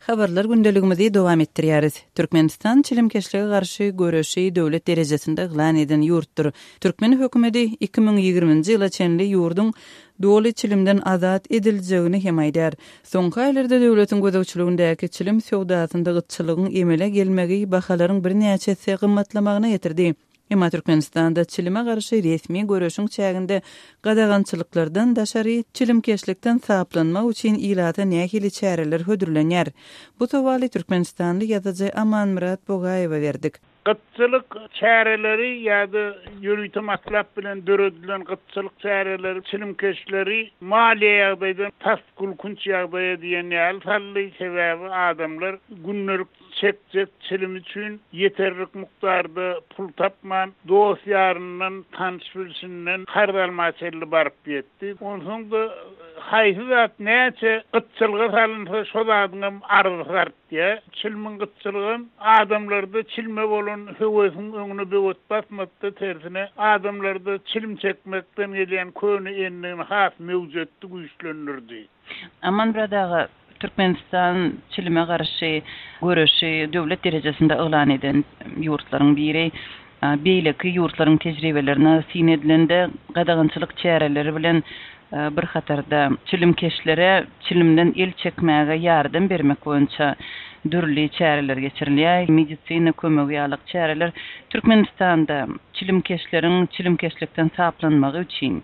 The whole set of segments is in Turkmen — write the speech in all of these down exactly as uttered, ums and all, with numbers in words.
Habarlar gündeligimizi dowam etdirýäris. Türkmenistan çilimkeşlige garşy göreşi döwlet derejesinde yglan eden ýurtdur. Türkmen hökümeti iki müň ýigriminji ýyla çenli ýurduň doly çilimden azat ediljegini hem aýdar. Soňky aýlarda döwletiň gözegçiligindäki çilim söwdasynda gytçylygyň emele gelmegi bahalaryň birnäçe gymmatlamagyna getirdi. Emma Türkmenistanda çilime garşy resmi göreşiň çäginde gadagançylyklardan daşary çilimkeşlikden saplanmak üçin ilata nähili çäreler hödürlenýär? Bu sowaly Türkmenistanly ýazyjy Amanmyrat Bogaýewa berdik. Gytçylyk çäreleri ýa-da ýörite matlap bilen döredilen gytçylyk çäreleri çilimkeşleri maliýe ýagdaýdan tas gülkünç ýagdaýa diýen ýaly saldy. Sebäbi adamlar gündelik çekjek çilim üçin ýeterlik mukdarda pul tapman, dost ýaryndan, tanyş bilşinden karz alma çenli baryp ýetdi. Onsoň da haýsy zat näçe gytçylyga salynsa şo zadyňam arzy artýar. Çilimiň gytçylygam adamlarda çilme bolan höwesiň öňüne böwet basmakda tersine adamlarda çilim çekmekden gelýän köne endigini has möwjetdi, güýçlendirdi. Amanmyrat aga, Türkmenistan çilime garşy göreşi döwlet derejesinde yglan eden ýurtlaryň biri. Beýleki ýurtlaryň tejribelerine syn edilende gadagançylyk çäreleri bilen bir hatarda çilimkeşlere çilimden el çekmäge ýardam bermek boýunça dürli çäreler geçirilýär. Medisina kömegi ýaly çäreler Türkmenistanda çilimkeşleriň çilimkeşlikden saplanmagy üçin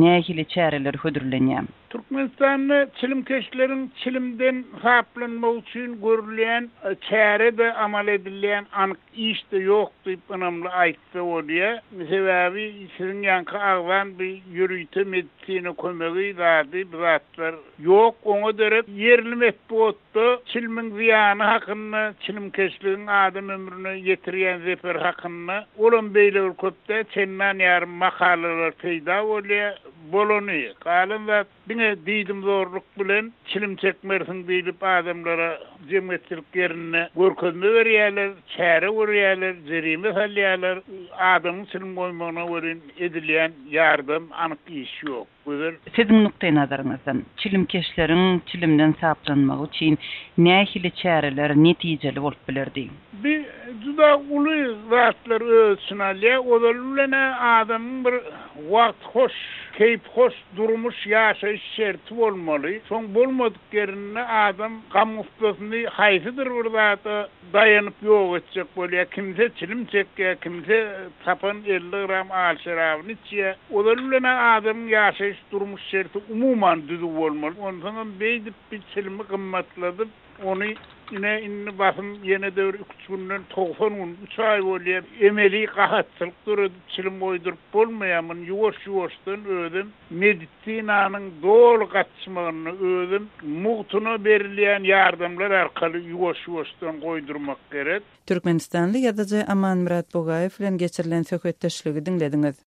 nähili çäreler hödürlenýär? Türkmenistanda çilimkeşleriň çilimden saplanmagy üçin görülýän çäre de amal edilýän anyk iş de ýok diýip ynamly aýtsa bolýar. Sebäbi siziň ýanky agzan bir ýörite medisina kömegi zady bu zatlar ýok. Oňa derek ýerli metbugatda çilimiň zyýany hakynda, çilimkeşligiň adam ömrüne ýetirýän zeper hakynda olam beýle bir köpde çendan ýarym makalalar peýda bolýar. Bolany, galan zat diňe diýdim zorluk bilen çilim çekmersiň diýlip adamlara jemgyýetçilik ýerinde görkezme berýärler, çäre görýärler, jerime salýarlar. Adamyň çilim goýmagyna welin edilýän ýardam anyk iş ýok. Güzel. Siziň nukdaý nazaryňyzdan çilimkeşleriň çilimden saplanmagy üçin nähili çäreler netijeli bolup bilerdi? Bir juda uly zatlar öz içine alýar. Ozal bilen adamyň bir wagt hoş, keýp hoş durmuş ýaşaýyş şerti bolmaly. Soň bolmadyk ýerinde adam gam gussasyny haýsydyr bir zada daýanyp ýok etjek bolýar. Kimse çilim çekýär, kimse tapan elli gram al şerabyny içýär. Ozal bilen adamyň ýaşaýyş durmuş şerti umuman düzüw bolmaly. Onsoň hem beýdip bir çilimi gymmatladyp, ony ine indi basym ýene de bir üç günden togsan gün, üç aý bolýar. Emeli gahatçylyk döredip çilim goýduryp bolmaýar. Muny ýuwaş-ýuwaşdan özüm medisinanyň doly gaçmagyny özüm mugtuna berilýän ýardamlar arkaly ýuwaş-ýuwaşdan goýdurmak gerek. Türkmenistanly ýazyjy Amanmyrat Bogaýew bilen geçirilen söhbetdeşligi diňlediňiz.